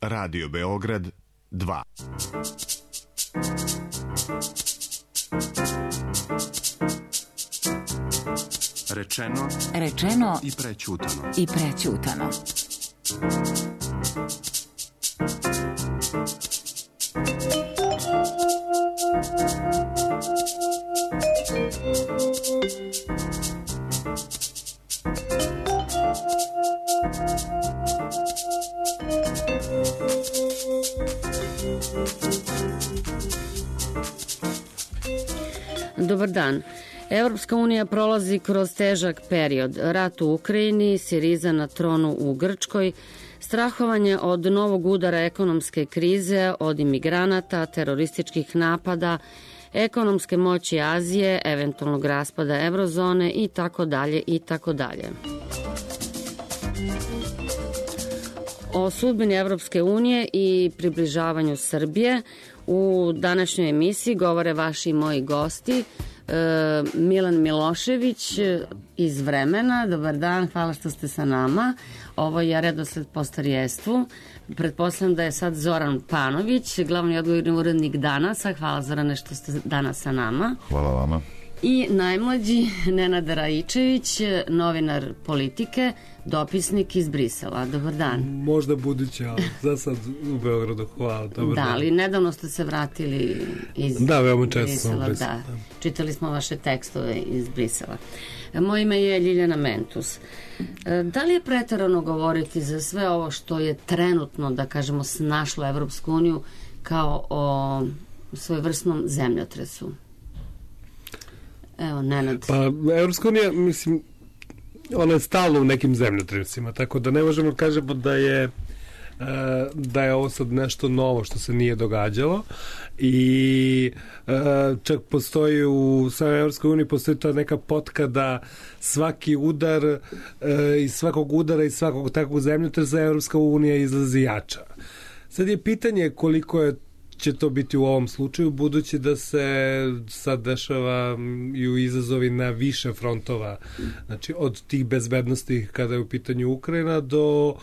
Radio Beograd 2. Rečeno i prećutano. Dobar dan. Evropska unija prolazi kroz težak period. Rat u Ukrajini, Siriza na tronu u Grčkoj, strahovanje od novog udara ekonomske krize, od imigranata, terorističkih napada, ekonomske moći Azije, eventualnog raspada eurozone i tako dalje i tako dalje. O sudbini Evropske unije i približavanju Srbije u današnjoj emisiji govore vaši i moji gosti. Milan Milošević iz Vremena. Dobar dan, hvala što ste sa nama. Ovo je redosled po starijestvu. Pretpostavljam da je sad Zoran Panović, glavni odgovorni urednik Danasa. Hvala, Zorane, što ste danas sa nama. Hvala vama. I najmlađi Nenad Raičević, novinar Politike, dopisnik iz Brisela. Dobar dan. Možda budući, ali za sad u Beogradu. Hvala, dobar dan. Da, ali nedavno ste se vratili iz Da, veoma često sam u Briselu. Da, čitali smo vaše tekstove iz Brisela. Moje ime je Ljiljana Mentus. Da li je preterano govoriti za sve ovo što je trenutno, da kažemo, snašlo Evropsku uniju kao o svojevrsnom zemljotresu? Evo, Nenad. Pa, Evropska unija, mislim, ona je stalno u nekim zemljotresima, tako da ne možemo kažemo da je ovo sad nešto novo što se nije događalo i čak postoji u samoj Evropskoj uniji postoji ta neka potka da svaki udar iz svakog udara i svakog takvog zemljotresa Evropska unija izlazi jača. Sad je pitanje koliko će to biti u ovom slučaju, budući da se sad dešavaju izazovi na više frontova, znači od tih bezbednosti kada je u pitanju Ukrajina do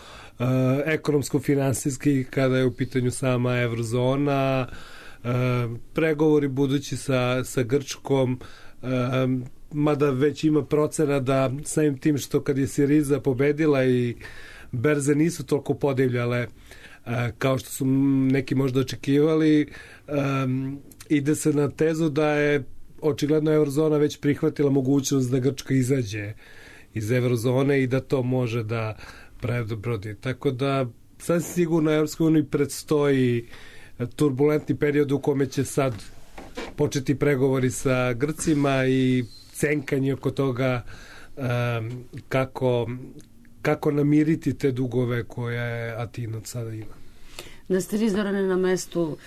ekonomsko-finansijskih kada je u pitanju sama eurozona, pregovori budući sa Grčkom, mada već ima procena da samim tim što kad je Siriza pobedila i berze nisu toliko podivljale kao što su neki možda očekivali, ide se na tezu da je očigledno eurozona već prihvatila mogućnost da Grčka izađe iz eurozone i da to može da prebrodi. Tako da sasvim sigurno Evropskoj uniji predstoji turbulentni period u kome će sad početi pregovori sa Grcima i cenkanje oko toga kako namiriti te dugove koje Atina sada ima. Da ste vi, Zorane, na mestu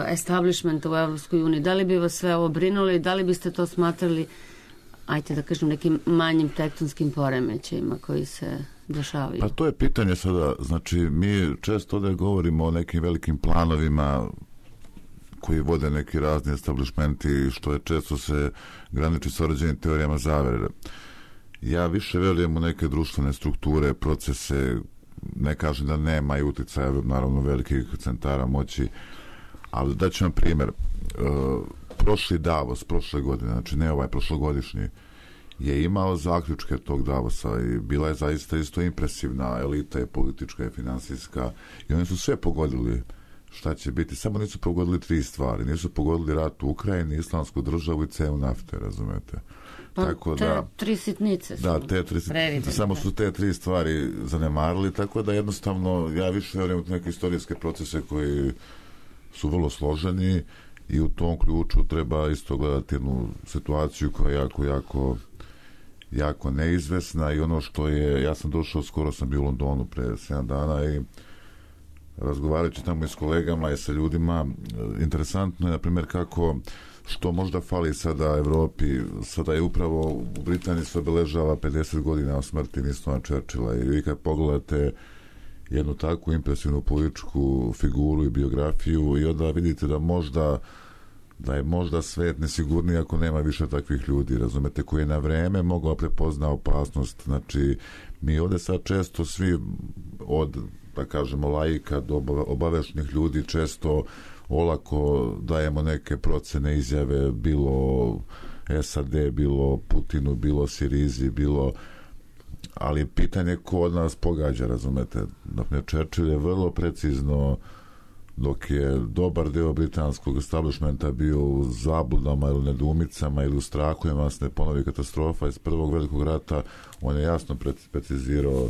establishmenta u Evropskoj uniji, da li bi vas sve ovo brinulo i da li biste to smatrali, ajte da kažem, nekim manjim tektonskim poremećajima koji se dešavaju? Pa to je pitanje sada, znači mi često ovdje govorimo o nekim velikim planovima koji vode neki razni establishmenti, što je često se graniči s određenim teorijama zavere. Ja više verujem u neke društvene strukture, procese, ne kažem da nema i uticaja, naravno, velikih centara moći, ali daću vam primjer. Prošli Davos, prošle godine, znači ne ovaj, prošlogodišnji, je imao zaključke tog Davosa i bila je zaista isto impresivna elita je politička i finansijska i oni su sve pogodili šta će biti, samo nisu pogodili 3 stvari, nisu pogodili rat u Ukrajini, islamsku državu i cenu nafte, razumete? Pa tako te da, 3 sitnice su. Da, te 3 sitnice, samo su te 3 stvari zanemarili, tako da jednostavno ja više verujem u neke istorijske procese koji su vrlo složeni i u tom ključu treba isto gledati jednu situaciju koja je jako neizvesna i ono što je, ja sam došao, skoro sam bio u Londonu pre 7 dana i razgovarajući tamo i s kolegama i sa ljudima, interesantno je, na primjer, što možda fali sada Evropi, sada je upravo u Britaniji se obeležava 50 godina od smrti Winstona Churchilla i vi kad pogledate jednu takvu impresivnu političku figuru i biografiju i onda vidite da je možda svet nesigurniji ako nema više takvih ljudi, razumete, koji je na vreme mogao prepozna opasnost. Znači, mi ovdje sad često svi od da kažemo, laika, do obaveštenih ljudi često olako dajemo neke procene, izjave, bilo SAD, bilo Putinu, bilo Sirizi, bilo... Ali pitanje ko od nas pogađa, razumete? Dakle, Churchill je vrlo precizno, dok je dobar deo britanskog establishmenta bio u zabludama ili nedumicama ili u strahovima se ne ponovi katastrofa iz Prvog velikog rata, on je jasno precizirao,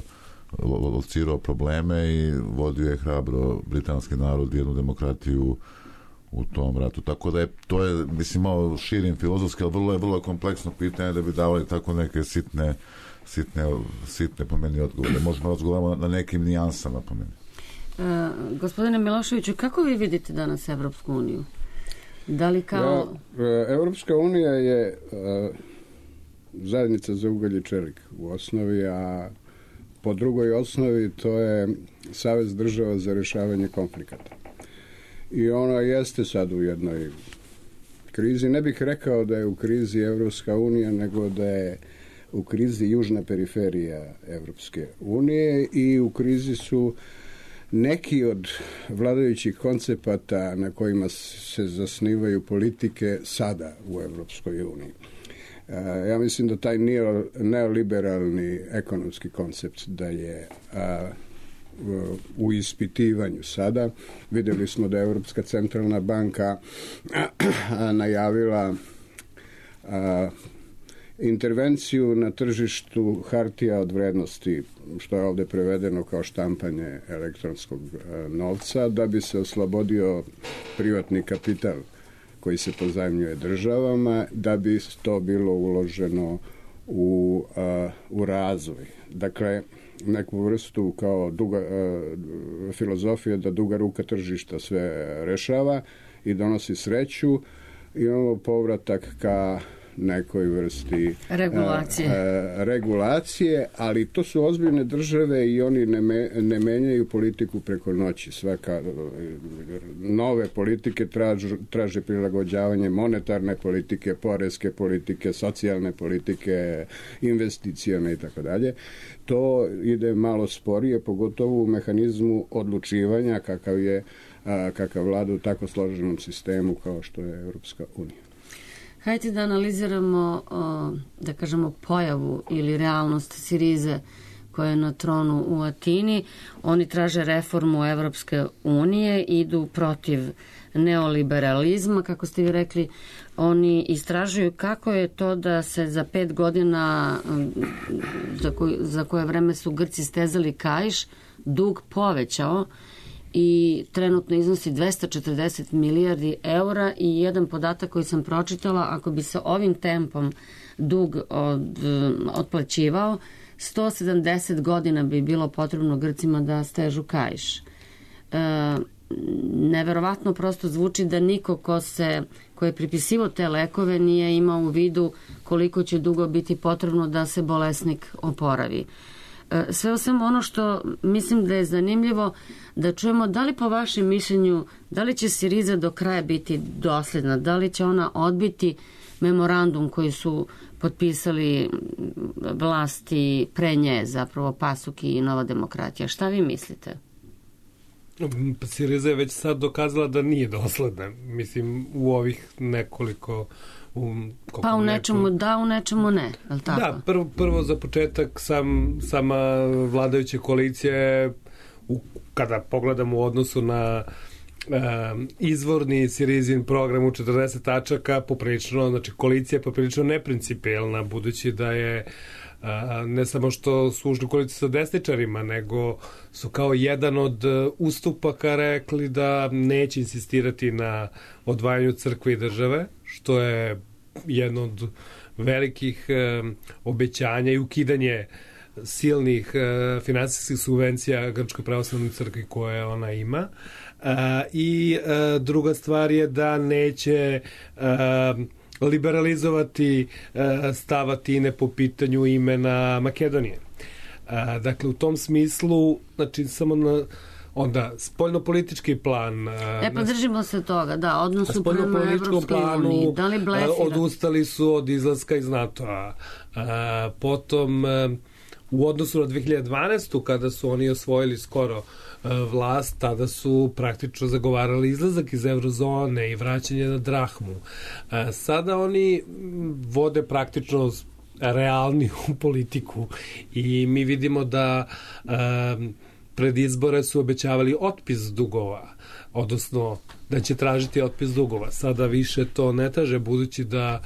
locirao probleme i vodio je hrabro britanski narod, jednu demokratiju u tom ratu. Tako da to je, mislim, malo širim filozofski, ali vrlo kompleksno pitanje da bi davali tako neke sitne po meni odgovore. Možemo razgovarati na nekim nijansama po meni. Gospodine Miloševiću, kako vi vidite danas Evropsku uniju? Da li kao... Evropska unija je zajednica za ugalj i čelik u osnovi, a po drugoj osnovi to je Savez država za rješavanje konflikata. I ona jeste sad u jednoj krizi. Ne bih rekao da je u krizi Evropska unija, nego da je u krizi južna periferija Evropske unije i u krizi su neki od vladajućih koncepata na kojima se zasnivaju politike sada u Evropskoj uniji. Ja mislim da taj neoliberalni ekonomski koncept da je u ispitivanju sada. Vidjeli smo da je Europska centralna banka najavila intervenciju na tržištu hartija od vrednosti, što je ovdje prevedeno kao štampanje elektronskog novca, da bi se oslobodio privatni kapital koji se pozajmljuje državama, da bi to bilo uloženo u razvoj. Dakle, neku vrstu kao filozofije da duga ruka tržišta sve rešava i donosi sreću. Imamo povratak ka nekoj vrsti regulacije, ali to su ozbiljne države i oni ne menjaju politiku preko noći. Svaka nove politike traže prilagođavanje monetarne politike, poreske politike, socijalne politike, investicione i tako dalje. To ide malo sporije, pogotovo u mehanizmu odlučivanja kakav vlada u tako složenom sistemu kao što je Europska unija. Hajde da analiziramo, da kažemo, pojavu ili realnost Sirize koja je na tronu u Atini. Oni traže reformu Evropske unije, idu protiv neoliberalizma, kako ste vi rekli. Oni istražuju kako je to da se za 5 godina, za koje vreme su Grci stezali kaiš, dug povećao i trenutno iznosi 240 milijardi eura i jedan podatak koji sam pročitala, ako bi se ovim tempom dug otplaćivao, 170 godina bi bilo potrebno Grcima da stežu kaiš. Neverovatno prosto zvuči da niko ko je pripisivao te lekove nije imao u vidu koliko će dugo biti potrebno da se bolesnik oporavi. Sve o svemu ono što mislim da je zanimljivo da čujemo, da li po vašem mišljenju, da li će Siriza do kraja biti dosljedna, da li će ona odbiti memorandum koji su potpisali vlasti pre nje, zapravo PASUK i Nova demokratija. Šta vi mislite? Siriza je već sad dokazala da nije dosledna. Mislim, u ovih nekoliko... Pa u nečemu da, u nečemu ne. Tako? Da, prvo za početak sama vladajuća koalicija, kada pogledamo u odnosu na izvorni Sirizin program u 40 tačaka, poprilično, znači koalicija je poprilično neprincipijelna, budući da je ne samo što su ušli u koaliciju sa desničarima, nego su kao jedan od ustupaka rekli da neće insistirati na odvajanju crkve i države, što je jedno od velikih obećanja i ukidanje silnih finansijskih subvencija Grčkoj pravoslavnoj crkvi koje ona ima. I druga stvar je da neće liberalizovati stav Atine po pitanju imena Makedonije. Dakle, u tom smislu, znači, samo na onda spoljnopolitički plan. Pa držimo se toga, da, odnosu prema Evropskoj uniji. Da li blefira? Odustali su od izlaska iz NATO-a. Potom u odnosu na 2012. kada su oni osvojili skoro vlast, tada su praktično zagovarali izlazak iz eurozone i vraćanje na drahmu. Sada oni vode praktično realniju politiku i mi vidimo da pred izbore su obećavali otpis dugova, odnosno da će tražiti otpis dugova. Sada više to ne traže, budući da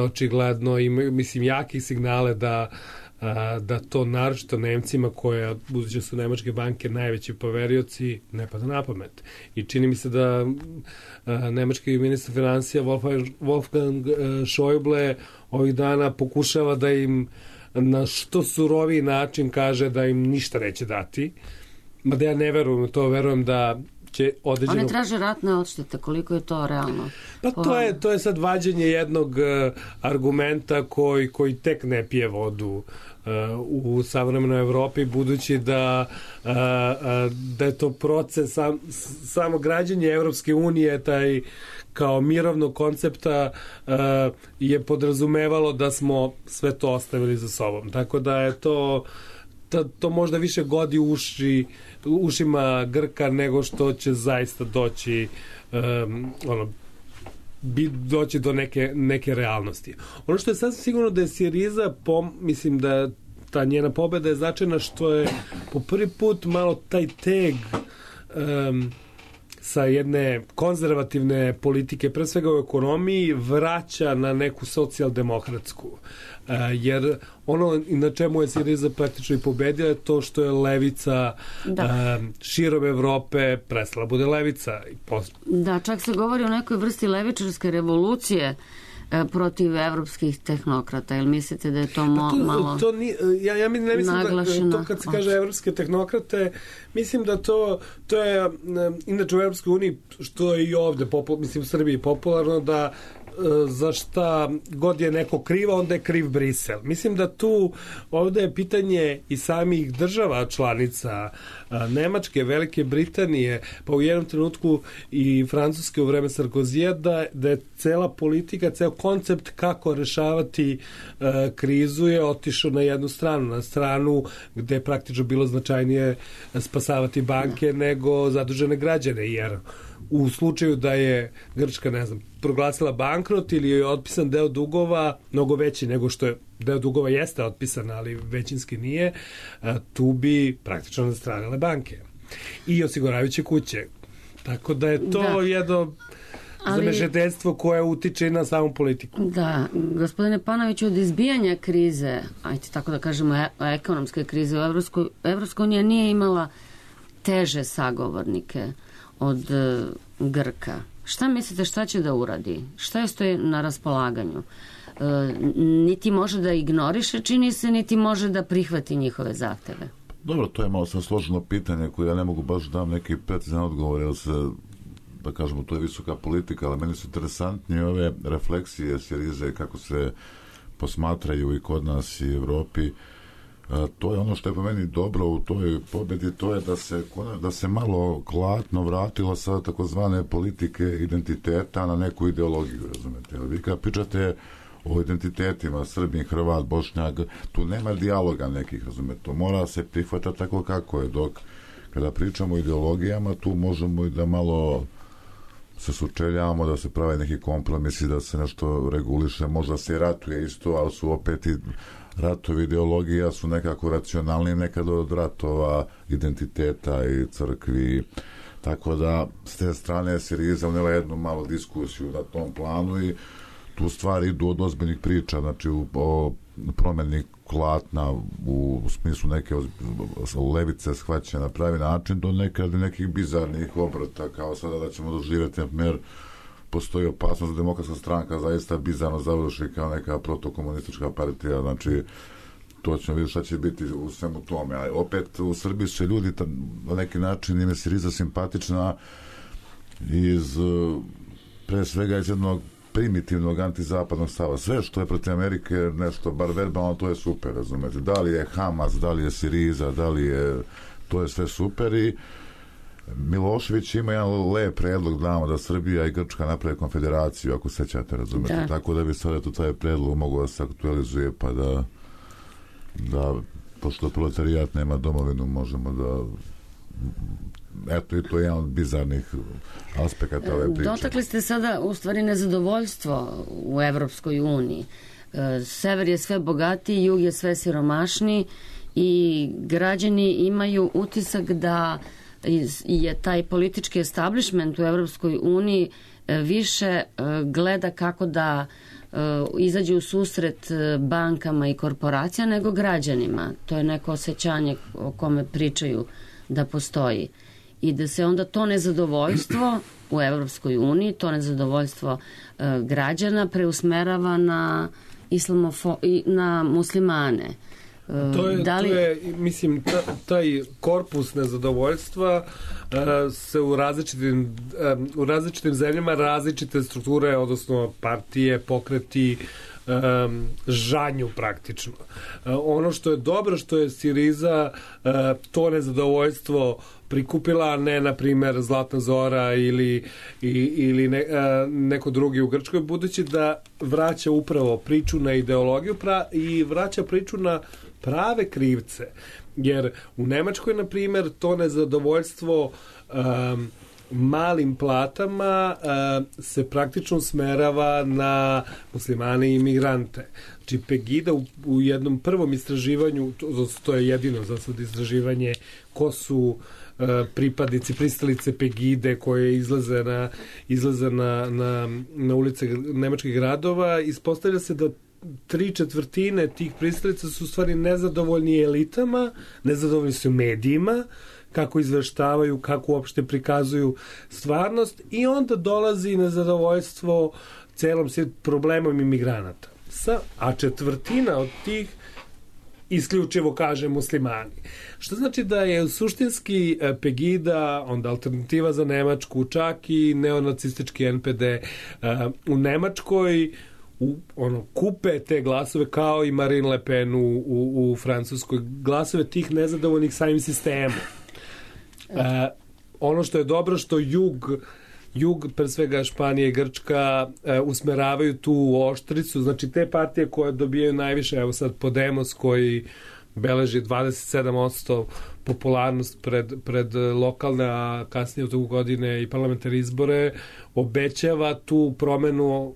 očigledno imaju, mislim, jaki signale da to naročito Nemcima, koje, budući su nemačke banke najveći poverioci, ne pada na pamet. I čini mi se da nemački ministar financija Wolfgang Schäuble ovih dana pokušava da im na što suroviji način kaže da im ništa neće dati. Mada ja ne verujem u to, verujem da će određeno... Oni traže ratne odštete, koliko je to realno? Pa to je sad vađenje jednog argumenta koji tek ne pije vodu u savremenoj Evropi, budući da je to proces samo građenje Evropske unije, taj kao mirovnog koncepta je podrazumevalo da smo sve to ostavili za sobom. Tako da je to možda više godi ušima Grka nego što će zaista doći doći do neke realnosti. Ono što je sasvim sigurno da je Siriza, mislim da ta njena pobeda je značajna što je po prvi put malo taj teg sa jedne konzervativne politike, pre svega u ekonomiji, vraća na neku socijaldemokratsku. Jer ono na čemu je Siriza praktično i pobedila je to što je levica širom Evrope prestala bude levica. Da, čak se govori o nekoj vrsti levičarske revolucije protiv evropskih tehnokrata. Jel mislite da je to malo ja ne mislim naglašeno? Da to kad se kaže evropske tehnokrate, mislim da to je inače u Evropskoj uniji, što je i ovde mislim u Srbiji popularno, da za šta god je neko kriva, onda je kriv Brisel. Mislim da ovde je pitanje i samih država članica, Nemačke, Velike Britanije, pa u jednom trenutku i Francuske u vreme Sarkozija, da je cela politika, ceo koncept kako rešavati krizu je otišao na jednu stranu, na stranu gde je praktično bilo značajnije spasavati banke nego zadužene građane, jer u slučaju da je Grčka, ne znam, proglasila bankrot ili je otpisan deo dugova, mnogo veći nego što je deo dugova jeste otpisan, ali većinski nije, tu bi praktično nastradale banke i osiguravajuće kuće. Tako da je to jedno zamešateljstvo koje utiče i na samu politiku. Da, gospodine Panoviću, od izbijanja krize, ajde tako da kažemo ekonomske krize, Evropska unija nije imala teže sagovornike od Grka. Šta mislite, šta će da uradi? Šta je stoji na raspolaganju? Niti može da ignoriše, čini se, niti može da prihvati njihove zahteve. Dobro, to je malo sad složeno pitanje koje ja ne mogu baš dam neki precizan odgovor, jer se, da kažemo, to je visoka politika, ali meni su interesantnije ove refleksije Sirize, kako se posmatraju i kod nas i Evropi. To je ono što je po meni dobro u toj pobedi, to je da se malo klatno vratilo sa takozvane politike identiteta na neku ideologiju, razumete. Vi kad pričate o identitetima, Srbin, Hrvat, Bošnjak, tu nema dijaloga nekih, razumete. To mora se prihvatati tako kako je, dok kada pričamo o ideologijama, tu možemo i da malo se sučeljavamo, da se prave neki kompromisi, da se nešto reguliše, možda se i ratuje isto, ali su opet i ratovi ideologija su nekako racionalni nekad od ratova identiteta i crkvi, tako da s te strane Siriza unela jednu malu diskusiju na tom planu i tu stvari idu od ozbiljnih priča, znači o promeni klatna u smislu neke levice shvaćene na pravi način do nekih bizarnih obrata, kao sada da ćemo doživjeti, na primjer, postoji opasnost da demokratska stranka zaista bizarno završi kao neka protokomunistička partija, znači to ćemo vidjeti šta će biti u svemu tome. A opet u Srbiji će ljudi na neki način im je Siriza simpatična pre svega iz jednog primitivnog antizapadnog stava. Sve što je protiv Amerike nešto, bar verbalno, to je super, razumete. Da li je Hamas, da li je Siriza, to je sve super i Milošević ima jedan lep predlog da Srbija i Grčka naprave konfederaciju, ako sećate, razumete. Da. Tako da bi sada tu taj predlog mogao da se aktualizuje pa da da pošto proletarijat nema domovinu, možemo da eto i to je jedan od bizarnih aspekata ove priče. Dotakli ste sada u stvari nezadovoljstvo u Evropskoj uniji. Sever je sve bogatiji, jug je sve siromašniji i građani imaju utisak da je taj politički establishment u Evropskoj uniji više gleda kako da izađe u susret bankama i korporacija nego građanima. To je neko osjećanje o kome pričaju da postoji. I da se onda to nezadovoljstvo u Evropskoj uniji, to nezadovoljstvo građana preusmerava na na muslimane. To je, mislim, taj korpus nezadovoljstva se u različitim zemljama različite strukture, odnosno partije, pokreti, žanju praktično. Ono što je dobro, što je Siriza to nezadovoljstvo prikupila, ne na primjer Zlatna Zora ili neko drugi u Grčkoj, budući da vraća upravo priču na ideologiju i vraća priču na prave krivce. Jer u Nemačkoj, na primjer, to nezadovoljstvo malim platama se praktično usmerava na muslimane i imigrante. Znači Pegida u jednom prvom istraživanju, to je jedino za sad istraživanje, ko su pripadnici, pristalice Pegide koje izlaze na ulice nemačkih gradova, ispostavlja se da 3/4 tih pristalica su u stvari nezadovoljni elitama, nezadovoljni su medijima, kako izveštavaju, kako uopšte prikazuju stvarnost, i onda dolazi nezadovoljstvo celom problemom imigranata. A 1/4 od tih isključivo kaže muslimani. Što znači da je suštinski Pegida, onda Alternativa za Nemačku, čak i neonacistički NPD u Nemačkoj kupe te glasove kao i Marine Le Pen u Francuskoj, glasove tih nezadovoljnih samim sistemom. Ono što je dobro, što jug, pre svega Španija i Grčka, usmeravaju tu oštricu, znači te partije koje dobijaju najviše, evo sad Podemos koji beleži 27% popularnost pred lokalne, a kasnije u toku godine i parlamentarne izbore, obećava tu promenu,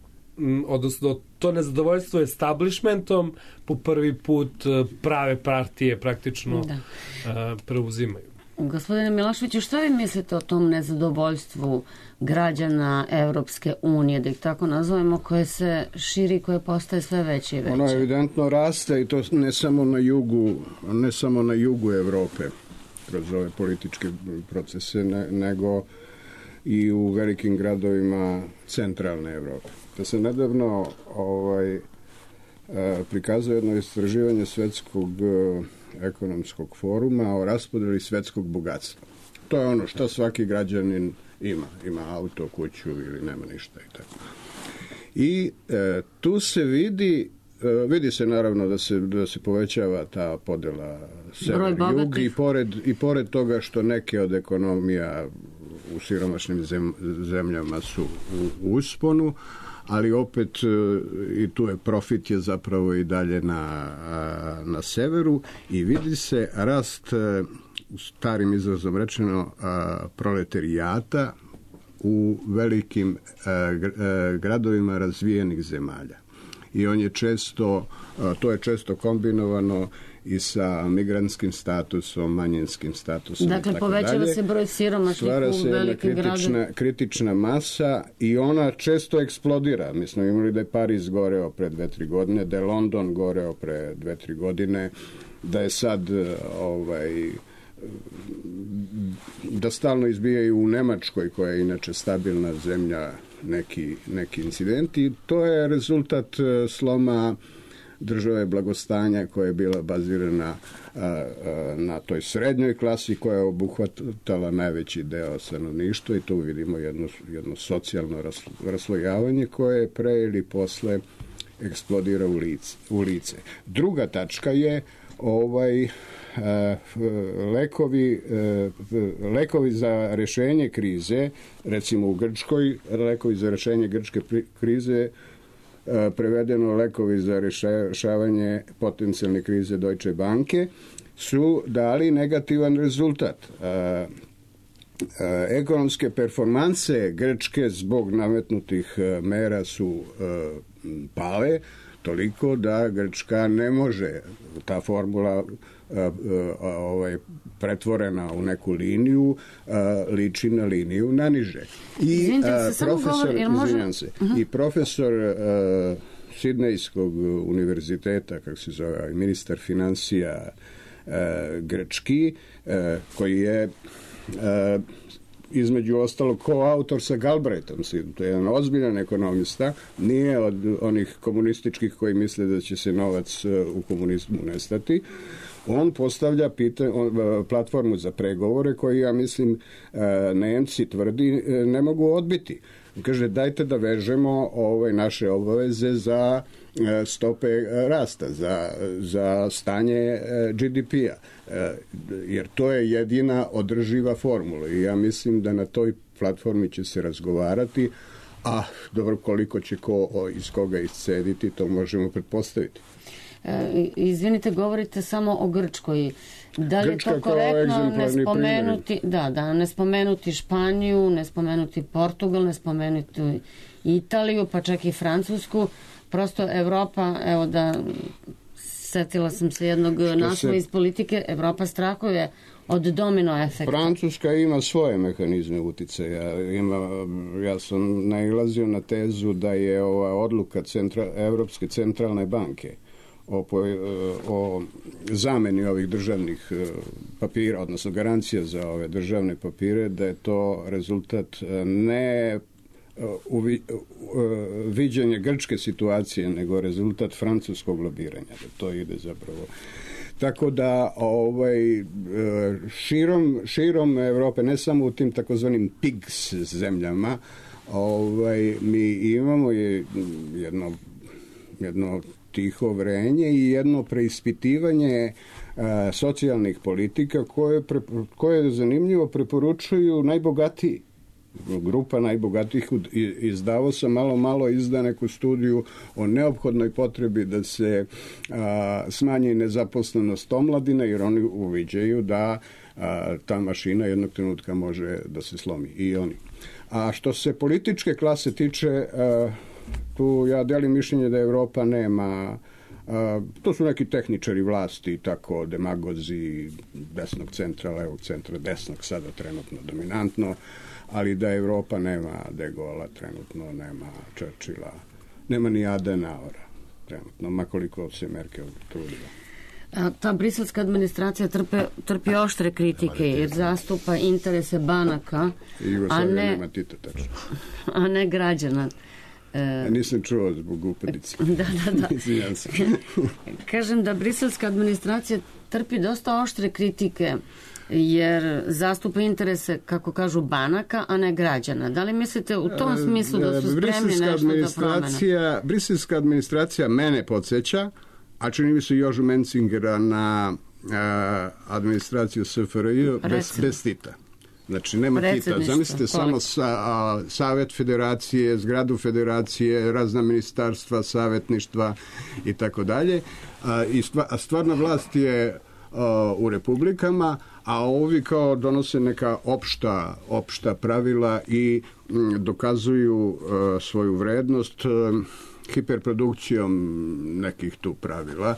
odnosno to nezadovoljstvo establishmentom po prvi put prave partije praktično preuzimaju. Gospodine Miloševiću, šta vi mislite o tom nezadovoljstvu građana Evropske unije, da ih tako nazovemo, koje se širi, koje postaje sve veće i veće? Ono evidentno raste, i to ne samo na jugu Evrope kroz ove političke procese, nego i u velikim gradovima centralne Evrope. Da se nedavno prikazuje jedno istraživanje Svetskog ekonomskog foruma o raspodeli svetskog bogatstva. To je ono što svaki građanin ima. Ima auto, kuću ili nema ništa i tako. I tu se vidi se naravno da se povećava ta podela sever-jug i pored toga što neke od ekonomija u siromašnim zemljama su u usponu, ali opet i tu je profit je zapravo i dalje na severu, i vidi se rast, starim izrazom rečeno, proletarijata u velikim gradovima razvijenih zemalja. I to je često kombinovano i sa migrantskim statusom, manjinskim statusom. Dakle, povećava se broj siromašnih u velikim gradovima. Stvara se kritična masa i ona često eksplodira. Mi smo imali da je Pariz goreo pre 2-3 godine, da je London goreo pre 2-3 godine, da je sad da stalno izbijaju u Nemačkoj, koja je inače stabilna zemlja, neki incidenti. To je rezultat sloma države blagostanja koja je bila bazirana na toj srednjoj klasi koja je obuhvatala najveći deo stanovništva, i tu vidimo jedno socijalno raslojavanje koje pre ili posle eksplodira u lice. Druga tačka je lekovi za rešenje krize, recimo u Grčkoj, lekovi za rešenje grčke krize prevedeno lekovi za rješavanje potencijalne krize Deutsche Banke, su dali negativan rezultat. Ekonomske performanse Grčke zbog nametnutih mera su pale toliko da Grčka ne može, ta formula pretvorena u neku liniju liči na liniju naniže. I profesor Sidnejskog univerziteta, kako se zove, ministar financija grčki, koji je između ostalog koautor sa Galbraithom, to je jedan ozbiljan ekonomista, nije od onih komunističkih koji misle da će se novac u komunizmu nestati. On postavlja platformu za pregovore koji, ja mislim, Nemci tvrdi ne mogu odbiti. Kaže, dajte da vežemo naše obaveze za stope rasta, za stanje GDP-a, jer to je jedina održiva formula i ja mislim da na toj platformi će se razgovarati, a dobro, koliko će ko iz koga iscediti, to možemo pretpostaviti. Izvinite, govorite samo o Grčkoj. Da li je to korektno ne spomenuti Španiju, ne spomenuti Portugal, ne spomenuti Italiju, pa čak i Francusku? Prosto Evropa, evo setila sam se jednog naslova iz politike, Evropa strahuje od domino efekta. Francuska ima svoje mehanizme uticaja. Ja sam nailazio na tezu da je ova odluka Evropske centralne banke o zameni ovih državnih papira, odnosno garancija za ove državne papire, da je to rezultat ne viđenje grčke situacije, nego rezultat francuskog lobiranja, da to ide zapravo. Tako da širom Evrope, ne samo u tim takozvanim PIGS zemljama, mi imamo jedno tiho vrenje i jedno preispitivanje socijalnih politika koje zanimljivo preporučuju najbogatiji. Grupa najbogatijih iz Davosa malo izda neku studiju o neophodnoj potrebi da se smanji nezaposlenost omladine, jer oni uviđaju da ta mašina jednog trenutka može da se slomi, i oni. A što se političke klase tiče, tu ja delim mišljenje da Evropa nema, to su neki tehničari vlasti, tako demagozi desnog centra, levog centra, desnog sada trenutno dominantno, ali da Evropa nema De Gaulle'a trenutno, nema Churchilla, nema ni Adenauera trenutno, makoliko se Merkel trudila. Ta briselska administracija trpi oštre kritike jer zastupa interese banaka, a ne građana. Nisam čuo zbog upadice. Da. Kažem da briselska administracija trpi dosta oštre kritike jer zastupa interese, kako kažu, banaka, a ne građana. Da li mislite u tom smislu da su spremni nešto da promene? Briselska administracija mene podsjeća, a čini mi se Jožu Mencingera na administraciju SFRJ bez Tita. Znači, nema Tita. Zamislite samo Savet federacije, zgradu federacije, razna ministarstva, savjetništva i tako dalje. A stvarna vlast je u republikama, a ovi kao donose neka opšta pravila i dokazuju svoju vrednost hiperprodukcijom nekih tu pravila,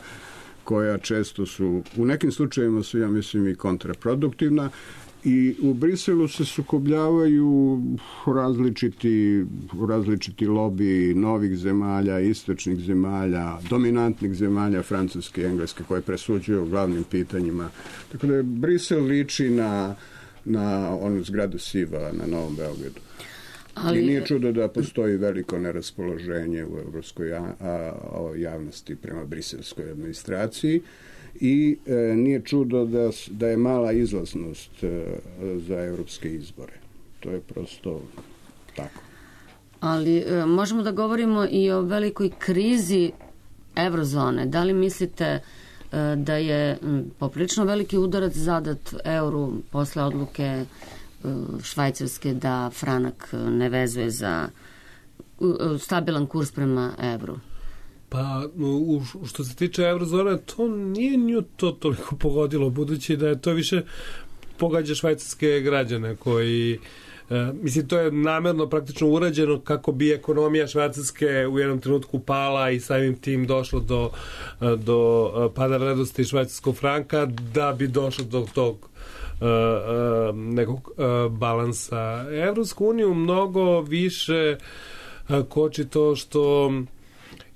koja često su, u nekim slučajevima su, ja mislim, i kontraproduktivna. I u Briselu se sukobljavaju različiti lobi novih zemalja, istočnih zemalja, dominantnih zemalja, Francuske i Engleske, koje presuđuju o glavnim pitanjima. Tako da Brisel liči na onu zgradu Siva na Novom Beogradu. I nije čudo da postoji veliko neraspoloženje u evropskoj javnosti prema briselskoj administraciji. I nije čudo da je mala izlaznost za evropske izbore. To je prosto tako. Ali možemo da govorimo i o velikoj krizi eurozone. Da li mislite da je poprilično veliki udarac zadat euru posle odluke Švajcarske da franak ne vezuje za stabilan kurs prema evru? Pa, što se tiče eurozone, to nije nju to toliko pogodilo, budući da je to više pogađa švajcarske građane koji mislim, to je namerno praktično urađeno kako bi ekonomija Švajcarske u jednom trenutku pala i samim tim došlo do pada vrednosti švajcarskog franka, da bi došlo do tog nekog balansa. Evropsku uniju mnogo više koči to što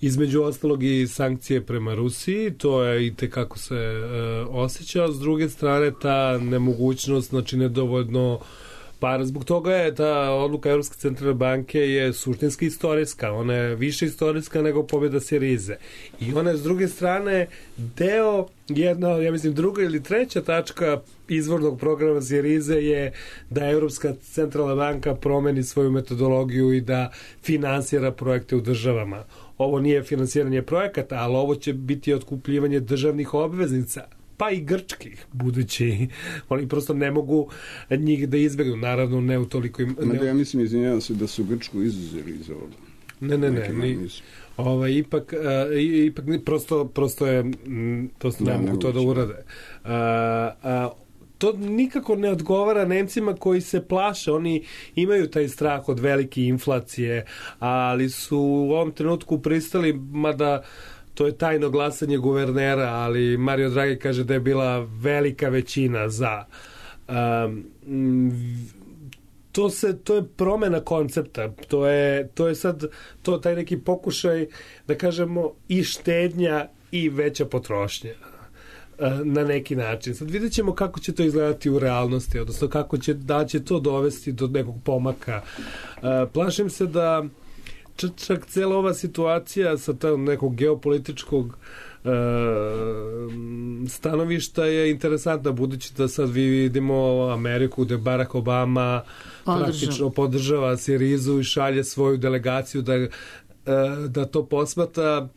između ostalog i sankcije prema Rusiji, to je i tekako se osjeća, s druge strane ta nemogućnost, znači nedovoljno para. Zbog toga je ta odluka Evropske centralne banke je suštinski istorijska, ona je više istorijska nego pobjeda Sirize. I ona je s druge strane deo, jedna, ja mislim druga ili treća tačka izvornog programa Sirize je da Evropska centralna banka promeni svoju metodologiju i da finansira projekte u državama. Ovo nije finansiranje projekata, ali ovo će biti otkupljivanje državnih obveznica, pa i grčkih, budući oni prosto ne mogu njih da izbjegnu, naravno ne u toliko im... Ja mislim, izvinjavam se, da su Grčku izuzeli iz ovoga. Ne. Ipak prosto ne mogu to da urade. To nikako ne odgovara Nemcima koji se plaše. Oni imaju taj strah od velike inflacije, ali su u ovom trenutku pristali, mada to je tajno glasanje guvernera, ali Mario Draghi kaže da je bila velika većina za. To je promena koncepta. To je sad taj neki pokušaj, da kažemo, i štednja i veća potrošnja na neki način. Sad vidjet ćemo kako će to izgledati u realnosti, odnosno da će to dovesti do nekog pomaka. Plašim se da čak cijela ova situacija sa nekog geopolitičkog stanovišta je interesantna, budući da sad vidimo Ameriku gde Barack Obama praktično podržava Sirizu i šalje svoju delegaciju da to posmatra.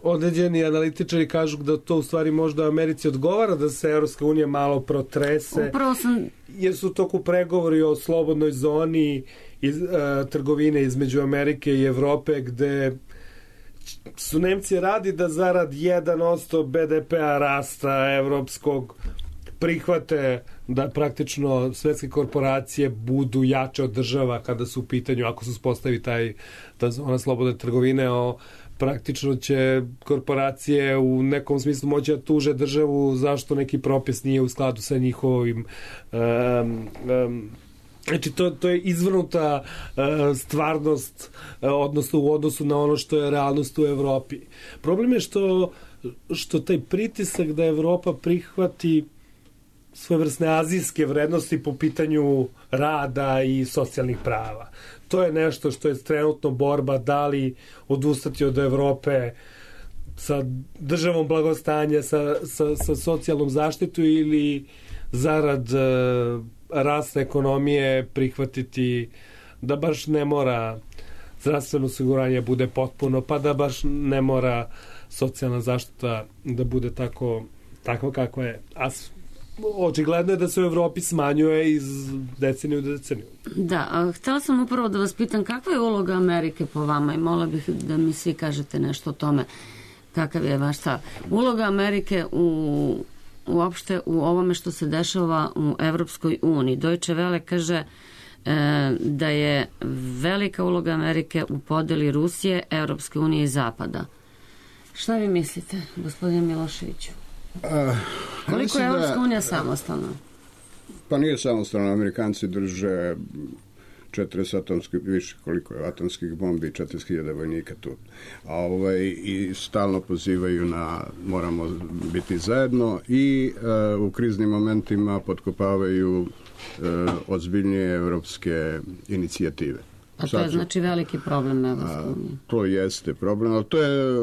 Određeni analitičari kažu da to u stvari možda Americi odgovara, da se Evropska unija malo protrese, jer su toku pregovori o slobodnoj zoni trgovine između Amerike i Evrope, gde su Nemci radi da zarad 1% BDP-a rasta evropskog prihvate da praktično svetske korporacije budu jače od država kada su u pitanju, ako se uspostavi ta zona slobodne trgovine, praktično će korporacije u nekom smislu moći da tuže državu zašto neki propis nije u skladu sa njihovim znači to je izvrnuta stvarnost, odnosno u odnosu na ono što je realnost u Evropi. Problem je što taj pritisak da Evropa prihvati svojevrsne azijske vrednosti po pitanju rada i socijalnih prava. To je nešto što je trenutno borba, da li odustati od Evrope sa državom blagostanja, sa socijalnom zaštitu, ili zarad rasta ekonomije prihvatiti da baš ne mora zdravstveno osiguranje bude potpuno, pa da baš ne mora socijalna zaštita da bude tako kako je. A očigledno je da se u Evropi smanjuje iz deceniju do deceniju. Da, a htjela sam upravo da vas pitam kakva je uloga Amerike po vama i molila bih da mi svi kažete nešto o tome. Kakav je vaš stav? Uloga Amerike uopšte u ovome što se dešava u Evropskoj uniji. Deutsche Welle kaže da je velika uloga Amerike u podeli Rusije, Evropske unije i Zapada. Šta vi mislite, gospodine Miloševiću? Koliko je Evropska unija samostalna? Pa nije samostalna. Amerikanci drže 40 atomskih, više koliko je atomskih bombi, 40.000 vojnika tu. I stalno pozivaju na moramo biti zajedno i u kriznim momentima potkopavaju ozbiljnije evropske inicijative. A to je znači veliki problem Evropske unije? To jeste problem, ali to je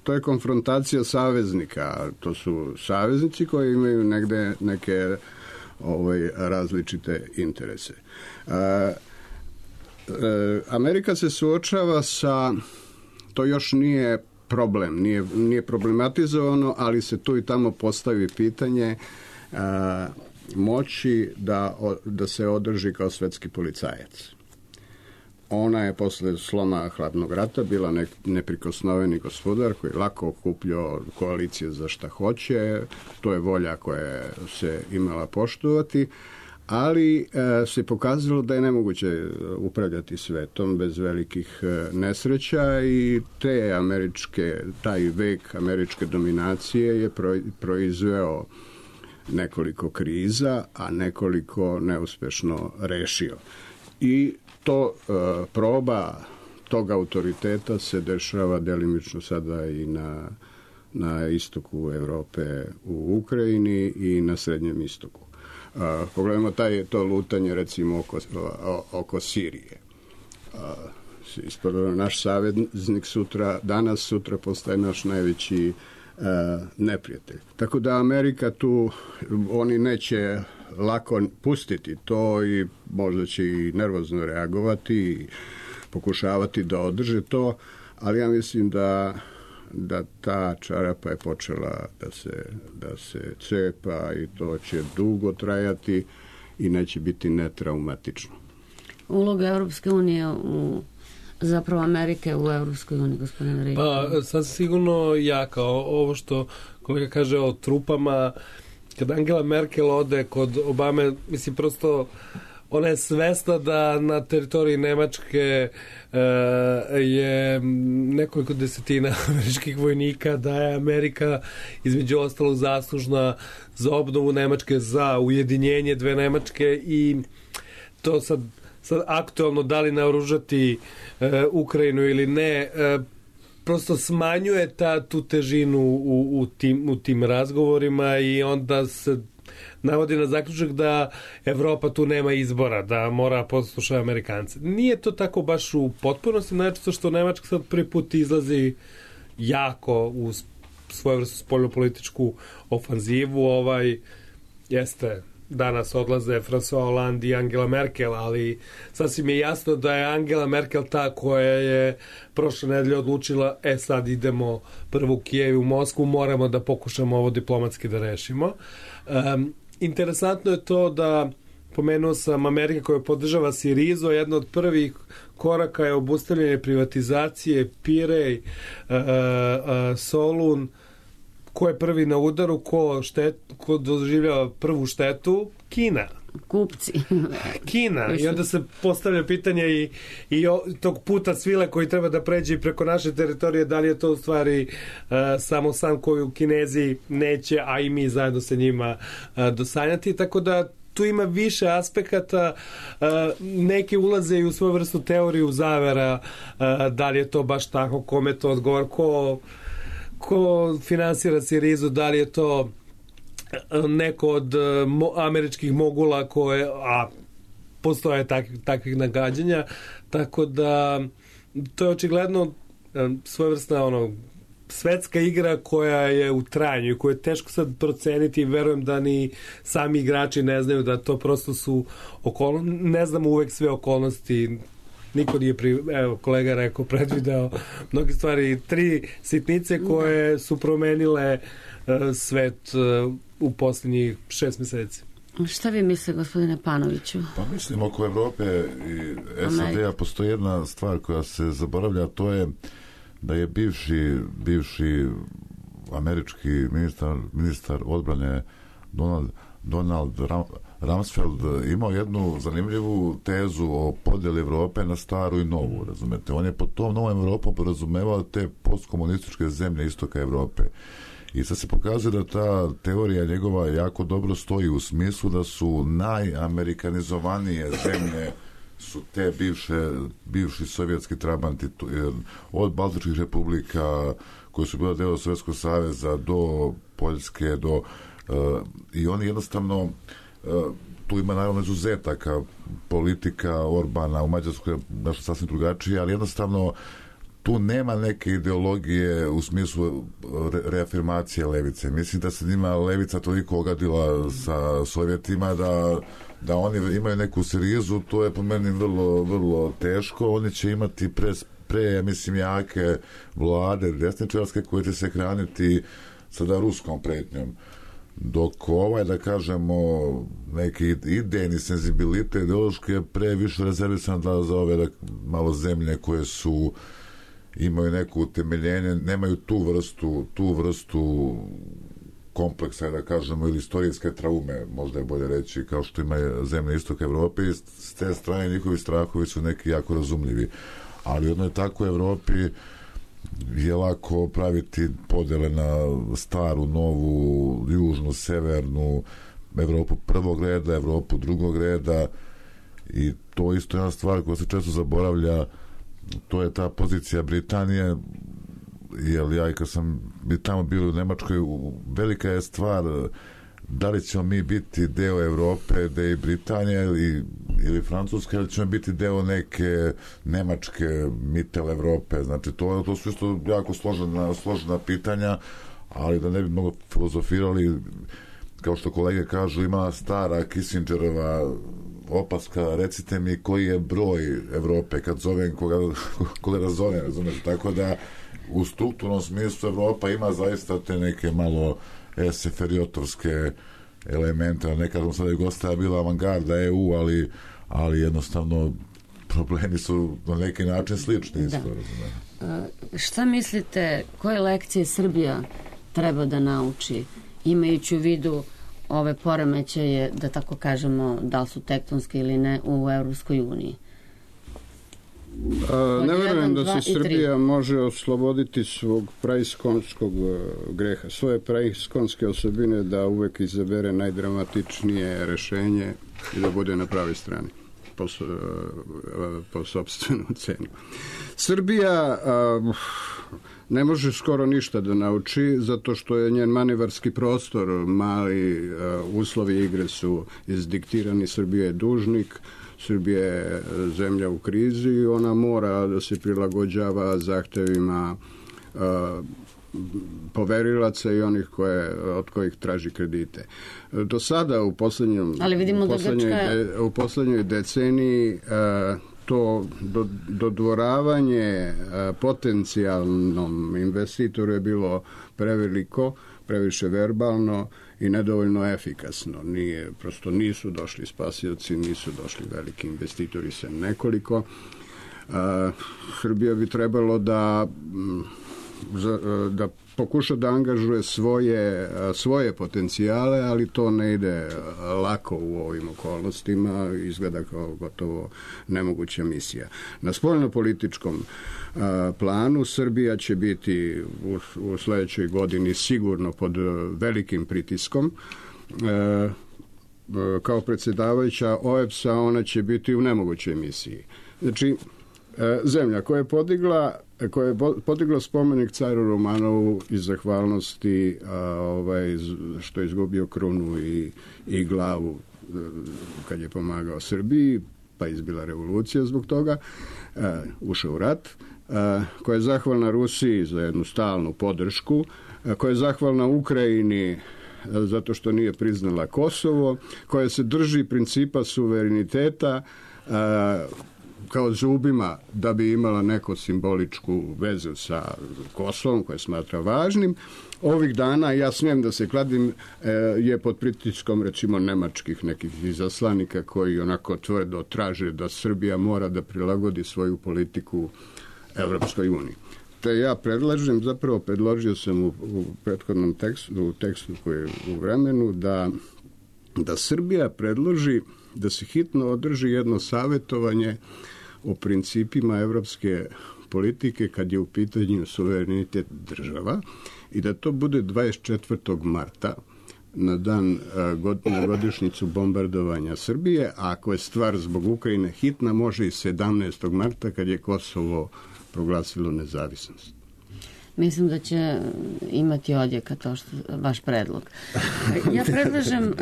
to je konfrontacija saveznika. To su saveznici koji imaju negde neke različite interese. Amerika se suočava sa, to još nije problem, nije problematizovano, ali se tu i tamo postavi pitanje moći da se održi kao svetski policajac. ona je posle sloma hladnog rata bila neprikosnoveni gospodar koji lako okupljao koalicije za šta hoće, to je volja koja se imala poštovati, ali se pokazalo da je nemoguće upravljati svetom bez velikih nesreća i taj vek američke dominacije je proizveo nekoliko kriza, a nekoliko neuspešno rešio. I to proba tog autoriteta se dešava delimično sada i na istoku Evrope u Ukrajini i na Srednjem istoku. Pogledajmo to lutanje recimo oko Sirije. Naš saveznik danas sutra naš najveći neprijatelj. Tako da Amerika tu, oni neće lako pustiti to i možda će i nervozno reagovati i pokušavati da održe to, ali ja mislim da ta čarapa je počela da se cepa i to će dugo trajati i neće biti netraumatično. Uloga Evropske unije zapravo Amerike u Evropskoj uniji, gospodine Riječ? Pa, sad sigurno jaka. Ovo što kolega kaže o trupama, kad Angela Merkel ode kod Obame, mislim, prosto ona je svesna da na teritoriji Nemačke je nekoliko desetina američkih vojnika, da je Amerika između ostalog zaslužna za obnovu Nemačke, za ujedinjenje dve Nemačke i to sad aktualno da li naoružati Ukrajinu ili ne, prosto smanjuje tu težinu u tim razgovorima i onda se navodi na zaključak da Evropa tu nema izbora, da mora poslušati Amerikance. Nije to tako baš u potpunosti, znači što Nemačka sad prvi put izlazi jako u svojevrsnu spoljnopolitičku ofanzivu, jeste danas odlaze François Hollande i Angela Merkel, ali sasvim je jasno da je Angela Merkel ta koja je prošle nedelje odlučila, sad idemo prvo u Kijev i u Moskvu, moramo da pokušamo ovo diplomatski da rešimo. Interesantno je to da pomenuo sam Amerika koja podržava Sirizo, jedna od prvih koraka je obustavljanje privatizacije Pirej, Solun. Ko je prvi na udaru, ko doživljava prvu štetu? Kina. Kupci. Kina. I onda se postavlja pitanje i tog puta svile koji treba da pređe preko naše teritorije, da li je to u stvari samo san koju Kinezi neće, a i mi zajedno sa njima dosanjati. Tako da tu ima više aspekata, neke ulaze i u svoju vrstu teoriju zavera, da li je to baš tako, kome to odgovor, ko finansira Sirizu, da li je to neko od američkih mogula a postoje takvih nagađanja, tako da to je očigledno svojevrsna svetska igra koja je u trajanju i koju je teško sad proceniti i verujem da ni sami igrači ne znaju, da to prosto su okolnosti, ne znamo uvek sve okolnosti. Niko nije, kolega rekao, predvideo mnogi stvari, 3 sitnice koje su promenile svet u posljednjih 6 meseci. Šta vi misle, gospodine Panoviću? Pa mislim, oko Evrope i SAD-a postoji jedna stvar koja se zaboravlja, to je da je bivši američki ministar odbrane Donald Rumsfeld imao jednu zanimljivu tezu o podjeli Evrope na staru i novu, razumete. On je pod tom novom Evropom podrazumevao te postkomunističke zemlje istoka Evrope. I sad se pokazuje da ta teorija njegova jako dobro stoji u smislu da su najamerikanizovanije zemlje su te bivši sovjetski trabanti, od Baltičkih republika koje su bile deo Sovjetskog saveza do Poljske, i oni jednostavno tu ima naravno izuzetaka, politika Orbana u Mađarskoj je nešto sasvim drugačije, ali jednostavno tu nema neke ideologije u smislu reafirmacije levice. Mislim da se njima levica toliko ogadila sa Sovjetima da oni imaju neku Sirizu, to je po meni vrlo, vrlo teško. Oni će imati ja mislim, jake vlade desničarske koje će se hraniti sada ruskom pretnjom. dok da kažemo, neki idejni senzibilitet ideološki je previše rezervisan za ove malo zemlje koje imaju neko utemeljenje, nemaju tu vrstu kompleksa, da kažemo, ili istorijske traume, možda je bolje reći, kao što ima zemlje istoka Evrope, i s te strane njihovi strahovi su neki jako razumljivi. Ali u jednoj takvoj Evropi je lako praviti podele na staru, novu, južnu, severnu, Evropu prvog reda, Evropu drugog reda, i to isto jedna stvar koja se često zaboravlja, to je ta pozicija Britanije, jer ja i kad sam tamo bio u Nemačkoj, velika je stvar da li ćemo mi biti deo Evrope, deo Britanije ili Francuske, ili ćemo biti deo neke Nemačke Mittel Evrope. Znači, to su isto jako složena pitanja, ali da ne bi mnogo filozofirali, kao što kolege kažu, ima stara Kissingerova opaska, recite mi koji je broj Evrope kad zovem koga razovem, razumeš, tako da u strukturnom smislu Evropa ima zaista te neke malo eseferijotovske elemente, nekad sada Jugoslavija bila avangarda EU, ali jednostavno problemi su na neki način slični. Da. Šta mislite, koje lekcije Srbija treba da nauči, imajući u vidu ove poremećaje, da tako kažemo, da li su tektonske ili ne, u Evropskoj uniji? Ne verujem da se Srbija može osloboditi svog praiskonskog greha, svoje praiskonske osobine, da uvek izabere najdramatičnije rešenje i da bude na pravoj strani po sopstvenu cenu. Srbija ne može skoro ništa da nauči, zato što je njen manevarski prostor mali, uslovi igre su izdiktirani, Srbija je dužnik, Srbija je zemlja u krizi i ona mora da se prilagođava zahtevima poverilaca i onih od kojih traži kredite. Do sada u poslednjoj deceniji to dodvoravanje potencijalnom investitoru je bilo preveliko, previše verbalno i nedovoljno efikasno. Prosto nisu došli spasioci, nisu došli veliki investitori, sem nekoliko. Srbija bi trebalo da pokuša da angažuje svoje potencijale, ali to ne ide lako u ovim okolnostima, izgleda kao gotovo nemoguća misija. Na spoljnopolitičkom planu Srbija će biti u sledećoj godini sigurno pod velikim pritiskom. Kao predsjedavajuća OEBS-a ona će biti u nemogućoj misiji. Znači, zemlja koja je podigla spomenik caru Romanovu iz zahvalnosti što je izgubio krunu i glavu kad je pomagao Srbiji, pa izbila revolucija zbog toga, ušao u rat, koja je zahvalna Rusiji za jednu stalnu podršku, koja je zahvalna Ukrajini zato što nije priznala Kosovo, koja se drži principa suvereniteta kao zubima da bi imala neku simboličku vezu sa Kosovom koje smatra važnim. Ovih dana, ja smijem da se kladim, je pod pritiskom recimo nemačkih nekih izaslanika koji onako tvrdo traže da Srbija mora da prilagodi svoju politiku Evropskoj uniji. Te ja predložio sam u prethodnom tekstu koji je u vremenu da Srbija predloži da se hitno održi jedno savjetovanje o principima evropske politike kad je u pitanju suverenitet država i da to bude 24. marta na godišnjicu bombardovanja Srbije, a ako je stvar zbog Ukrajine hitna, može i 17. marta kad je Kosovo proglasilo nezavisnost. Mislim da će imati odjeka to što vaš predlog. Ja predlažem,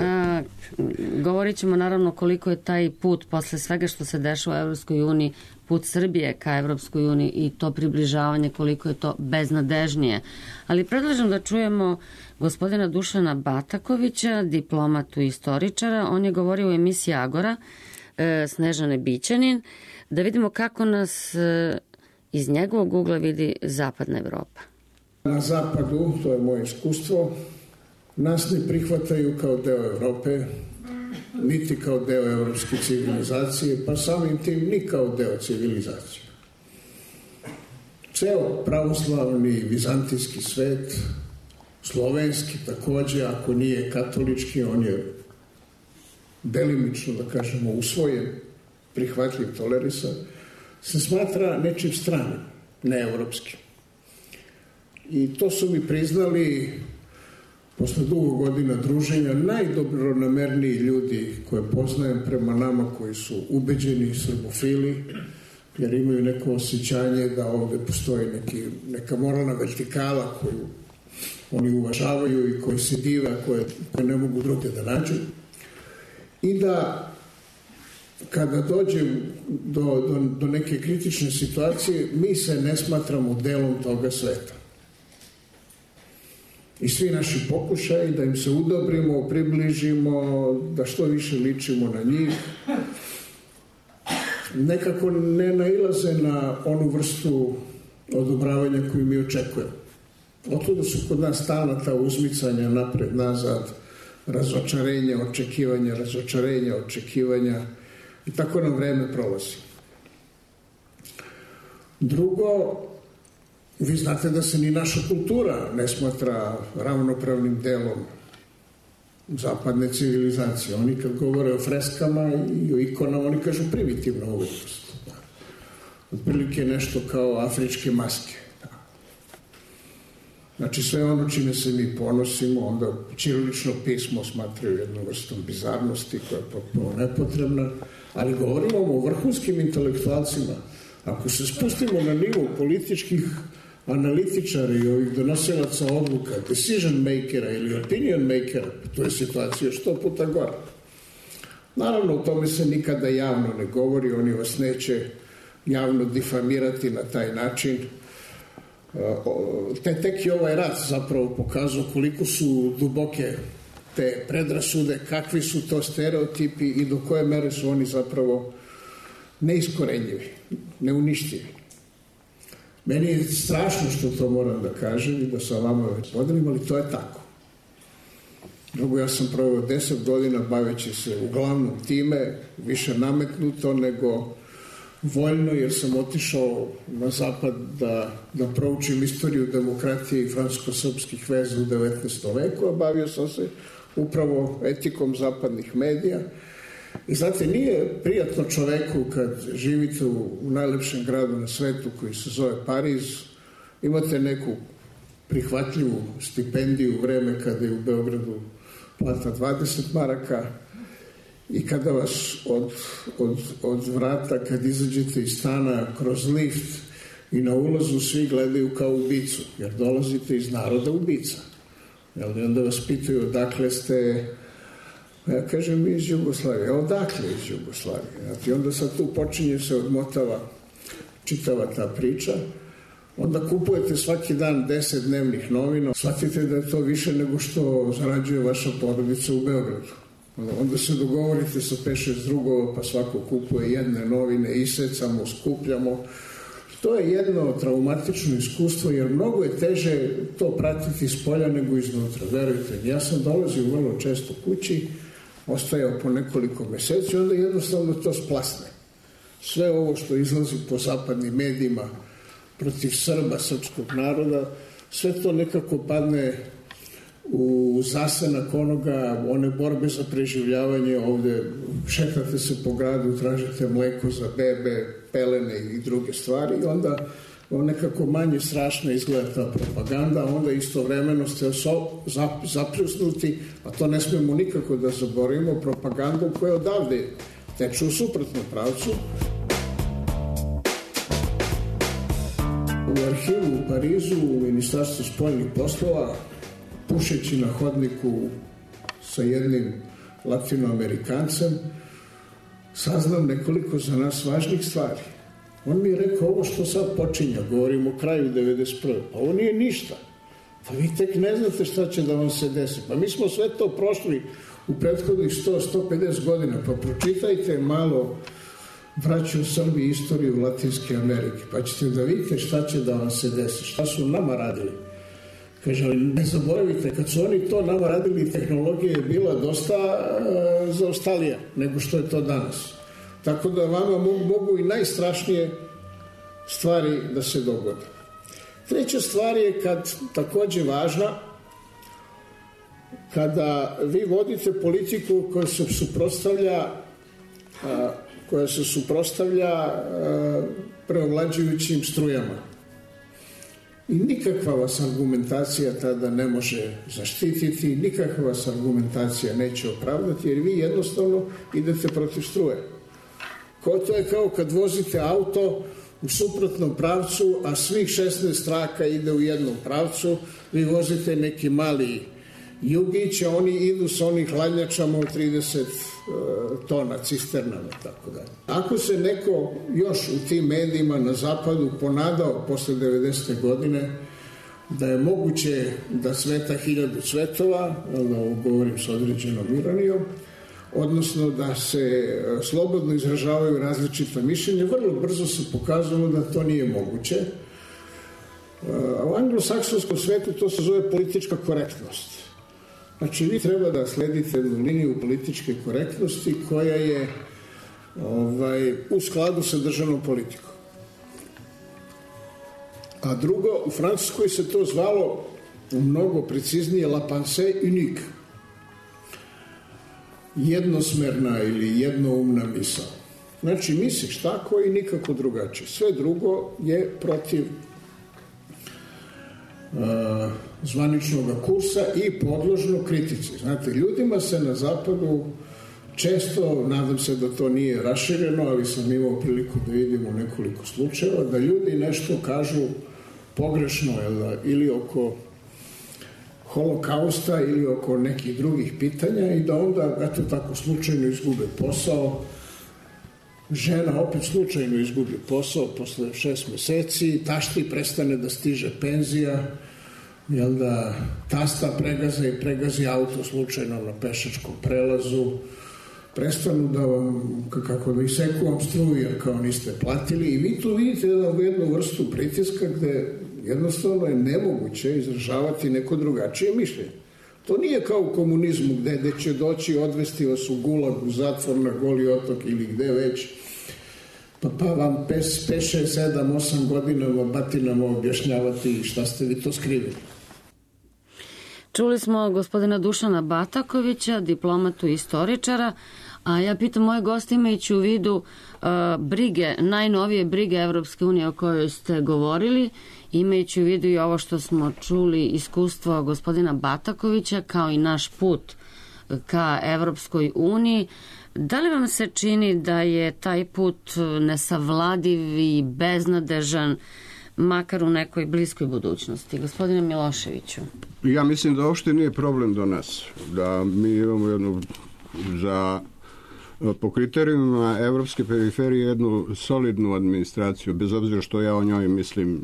govorit ćemo naravno koliko je taj put posle svega što se dešava u Evropskoj uniji, put Srbije ka Evropskoj uniji i to približavanje, koliko je to beznadežnije. Ali predlažem da čujemo gospodina Dušana Batakovića, diplomatu i istoričara. On je govorio u emisiji Agora, Snežane Bićanin, da vidimo kako nas iz njegovog ugla vidi zapadna Evropa. Na zapadu, to je moje iskustvo, nas ne prihvataju kao deo Evrope, niti kao deo evropske civilizacije, pa samim tim ni kao deo civilizacije. Ceo pravoslavni vizantijski svet, slovenski takođe, ako nije katolički, on je delimično, da kažemo, usvojen, prihvatljiv, tolerisan, se smatra nečim stranim, neevropskim. I to su mi priznali posle dugo godina druženja najdobronamerniji ljudi koje poznajem prema nama koji su ubeđeni srbofili, jer imaju neko osjećanje da ovde postoji neka moralna vertikala koju oni uvažavaju i koji se dive, koje ne mogu druge da nađu. I da kada dođe do neke kritične situacije, mi se ne smatramo delom toga sveta. I svi naši pokušaji da im se udobrimo, približimo, da što više ličimo na njih, nekako ne nailaze na onu vrstu odobravanja koju mi očekujemo. Otuda su kod nas stalna ta uzmicanja napred, nazad, razočarenja, očekivanja i tako nam vreme prolazi. Drugo, vi znate da se ni naša kultura ne smatra ravnopravnim delom zapadne civilizacije. Oni kad govore o freskama i o ikonama, oni kažu primitivna umetnost. Otprilike nešto kao afričke maske. Znači sve ono čime se mi ponosimo, onda ćirilično pismo smatraju jednu vrstom bizarnosti koja je potpuno nepotrebna, ali govorimo o vrhunskim intelektualcima. Ako se spustimo na nivo političkih analitičara i ovih donosilaca odluka, decision makera ili opinion makera, to je situacija 100 puta gore. Naravno, o tome se nikada javno ne govori, oni vas neće javno difamirati na taj način. Tek je ovaj rat zapravo pokazao koliko su duboke te predrasude, kakvi su to stereotipi i do koje mere su oni zapravo neiskorenjivi, neuništivi. Meni je strašno što to moram da kažem i da sa vama već podelim, ali to je tako. Drugo, ja sam proveo 10 godina baveći se uglavnom time, više nametnuto nego voljno, jer sam otišao na zapad da proučim istoriju demokratije i francusko-srpskih veza u 19. veku, a bavio sam se upravo etikom zapadnih medija. I znate, nije prijatno čoveku kad živite u najlepšem gradu na svetu koji se zove Pariz, imate neku prihvatljivu stipendiju u vreme kada je u Beogradu plata 20 maraka i kada vas od vrata, kad izađete iz stana kroz lift i na ulazu svi gledaju kao ubicu, jer dolazite iz naroda ubica. I onda vas pitaju odakle ste. Ja kažem iz Jugoslavije. Odakle iz Jugoslavije? I onda sad tu počinje se odmotava čitava ta priča. Onda kupujete svaki dan 10 dnevnih novina. Shvatite da je to više nego što zarađuje vaša porodica u Beogradu. Onda se dogovorite sa 5-6 drugova, pa svako kupuje jedne novine, isecamo, skupljamo. To je jedno traumatično iskustvo, jer mnogo je teže to pratiti iz polja nego iznutra. Verujte, ja sam dolazio vrlo često kući, ostajao po nekoliko meseci, onda jednostavno to splasne. Sve ovo što izlazi po zapadnim medijima protiv Srba, srpskog naroda, sve to nekako padne u zasenak onoga, one borbe za preživljavanje. Ovde šetate se po gradu, tražite mleko za bebe, pelene i druge stvari i onda nekako manje strašno izgleda ta propaganda, a onda istovremeno ste zapljusnuti, a to ne smemo nikako da zaboravimo, propagandom koja odavde teče u suprotnom pravcu. U arhivu u Parizu, u Ministarstvu spoljnih poslova, pušeći na hodniku sa jednim latinoamerikancem, saznam nekoliko za nas važnih stvari. On mi je rekao, ovo što sad počinja, govorim o kraju 1991. Pa ovo nije ništa. Pa vi tek ne znate šta će da vam se desi. Pa mi smo sve to prošli u prethodnih 100-150 godina. Pa pročitajte malo, braćo u Srbiji, istoriju Latinske Amerike. Pa ćete da vidite šta će da vam se desi. Šta su nama radili Kaže, ali ne zaboravite, kad su oni to nama radili, tehnologija je bila dosta zaostalija nego što je to danas. Tako da vama mogu i najstrašnije stvari da se dogode. Treća stvar je takođe važna, kada vi vodite politiku koja se suprotstavlja preovlađujućim strujama. I nikakva vas argumentacija tada ne može zaštititi, nikakva vas argumentacija neće opravdati, jer vi jednostavno idete protiv struje. To je kao kad vozite auto u suprotnom pravcu, a svih 16 traka ide u jednom pravcu, vi vozite neki mali jugić, a oni idu sa onih hladnjačama od 30 tona, cisternama, tako dalje. Ako se neko još u tim medijima na zapadu ponadao posle 90. godine da je moguće da cveta 1000 cvetova, govorim sa određenom ironijom, odnosno da se slobodno izražavaju različita mišljenja, vrlo brzo se pokazalo da to nije moguće. U anglosaksonskom svetu to se zove politička korektnost. Znači, vi treba da sledite jednu liniju političke korektnosti koja je u skladu sa državnom politikom. A drugo, u Francuskoj se to zvalo mnogo preciznije la pensée unique. Jednosmerna ili jednoumna misao. Znači, misliš tako i nikako drugačije. Sve drugo je protiv zvaničnog kursa i podložno kritici. Znate, ljudima se na zapadu često, nadam se da to nije rašireno, ali sam imao priliku da vidim u nekoliko slučajeva, da ljudi nešto kažu pogrešno ili oko holokausta ili oko nekih drugih pitanja i da onda, eto tako, slučajno izgube posao. Žena opet slučajno izgubi posao posle 6 meseci, tašti prestane da stiže penzija, jel da tasta pregazi auto slučajno na pešačkom prelazu, prestanu da vam, kako da iseku vam struju jer kao niste platili i vi tu vidite jednu vrstu pritiska gde jednostavno je nemoguće izražavati neko drugačije mišljenje. To nije kao u komunizmu gde će doći odvesti vas u gulag, u zatvor, na Goli otok ili gde već, pa vam 5, 6, 7, 8 godinama batinama objašnjavati šta ste vi to skrivili. Čuli smo gospodina Dušana Batakovića, diplomatu i istoričara, a ja pitam moje goste imajući u vidu brige, najnovije brige Evropske unije o kojoj ste govorili, imajući u vidu i ovo što smo čuli, iskustvo gospodina Batakovića kao i naš put ka Evropskoj uniji, da li vam se čini da je taj put nesavladiv i beznadežan, makar u nekoj bliskoj budućnosti? Gospodine Miloševiću. Ja mislim da uopšte nije problem do nas. Da mi imamo jednu, po kriterijumima evropske periferije, jednu solidnu administraciju, bez obzira što ja o njoj mislim,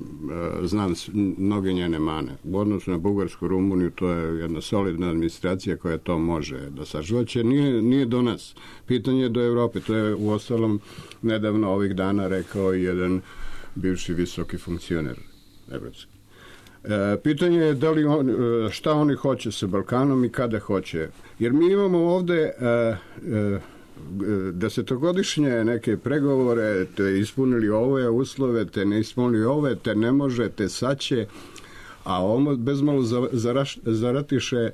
znam mnoge njene mane. U odnosu na Bugarsku, Rumuniju, to je jedna solidna administracija koja to može da sažvaće. Nije do nas. Pitanje je do Evrope. To je u ostalom nedavno ovih dana rekao jedan bivši visoki funkcioner evropski. Pitanje je šta oni hoće sa Balkanom i kada hoće. Jer mi imamo ovde desetogodišnje neke pregovore, te ispunili ove uslove, te ne ispunili ove, te ne može, te sad će, a ovo bezmalo zaratiše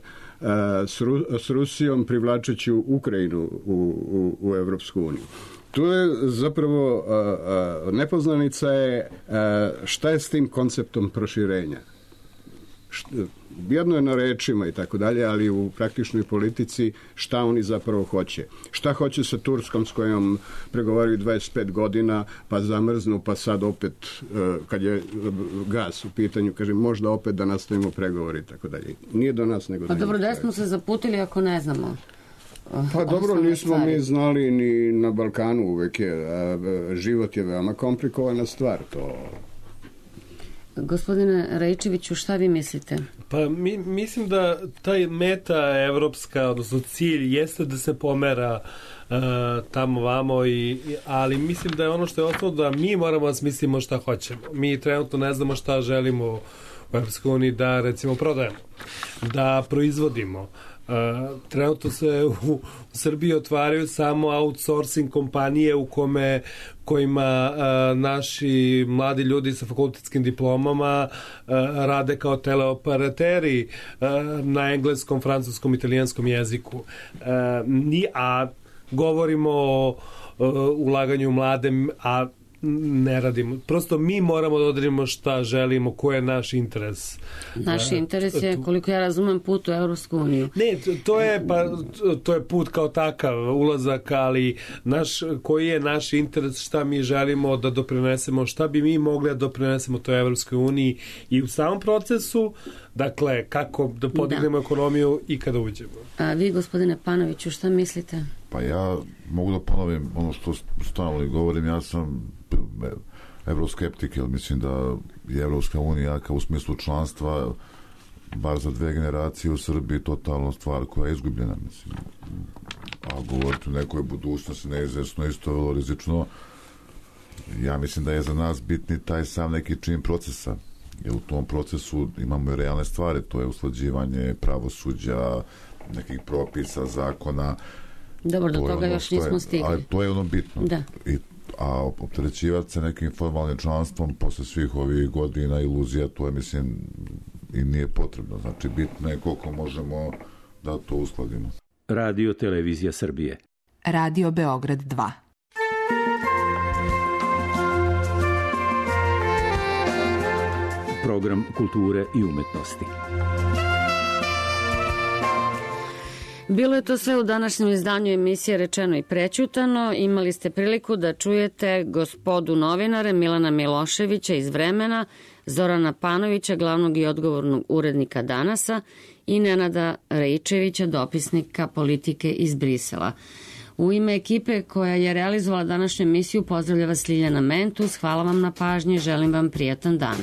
s Rusijom privlačeći Ukrajinu u Evropsku uniju. Tu je zapravo nepoznanica je šta je s tim konceptom proširenja. Jedno je na rečima i tako dalje, ali u praktičnoj politici šta oni zapravo hoće. Šta hoće sa Turskom s kojom pregovaraju 25 godina, pa zamrznu, pa sad opet, kad je gas u pitanju, kaže možda opet da nastavimo pregovori i tako dalje. Nije do nas nego da... Pa dobro, da smo se zaputili ako ne znamo. Pa dobro, nismo mi znali ni na Balkanu uvek je. Život je veoma komplikovana stvar, to... Gospodine Rejčeviću, šta vi mislite? Pa mislim da taj meta evropska, odnosno cilj, jeste da se pomera tamo vamo, ali mislim da je ono što je ostalo da mi moramo da smislimo šta hoćemo. Mi trenutno ne znamo šta želimo u Evropskoj uniji da recimo prodajemo, da proizvodimo. Trenutno se u Srbiji otvaraju samo outsourcing kompanije kojima naši mladi ljudi sa fakultetskim diplomama rade kao teleoperateri na engleskom, francuskom, italijanskom jeziku. A govorimo o ulaganju u mlade, a ne radimo. Prosto mi moramo da odredimo šta želimo, ko je naš interes. Naš interes je, koliko ja razumem, put u Evropsku uniju. Ne, to je put kao takav, ulazak, ali koji je naš interes, šta mi želimo da doprinesemo, šta bi mi mogli da doprinesemo toj Evropskoj uniji i u samom procesu, dakle, kako da podignemo ekonomiju i kada uđemo. A vi, gospodine Panoviću, šta mislite? Pa ja mogu da ponovim ono što stalno govorim, ja sam evroskeptik, jer mislim da je Evropska unija kao u smislu članstva bar za 2 generacije u Srbiji totalno stvar koja je izgubljena, mislim. A govoriti o nekoj budućnosti neizvesno isto vrlo rizično. Ja mislim da je za nas bitni taj sam neki čin procesa, jer u tom procesu imamo i realne stvari, to je usklađivanje pravosuđa, nekih propisa, zakona. Dobro, do toga još nismo stigli. Ali to je ono bitno. Da. A opterećivati se nekim formalnim članstvom posle svih ovih godina iluzija, to je, mislim, i nije potrebno. Znači, bitno je koliko možemo da to uskladimo. Radio Televizija Srbije. Radio Beograd 2. Program kulture i umetnosti. Bilo je to sve u današnjem izdanju emisije Rečeno i prećutano. Imali ste priliku da čujete gospodu novinare Milana Miloševića iz Vremena, Zorana Panovića, glavnog i odgovornog urednika Danasa i Nenada Raičevića, dopisnika politike iz Brisela. U ime ekipe koja je realizovala današnju emisiju pozdravlja vas Ljiljana Mentus. Hvala vam na pažnji, želim vam prijatan dan.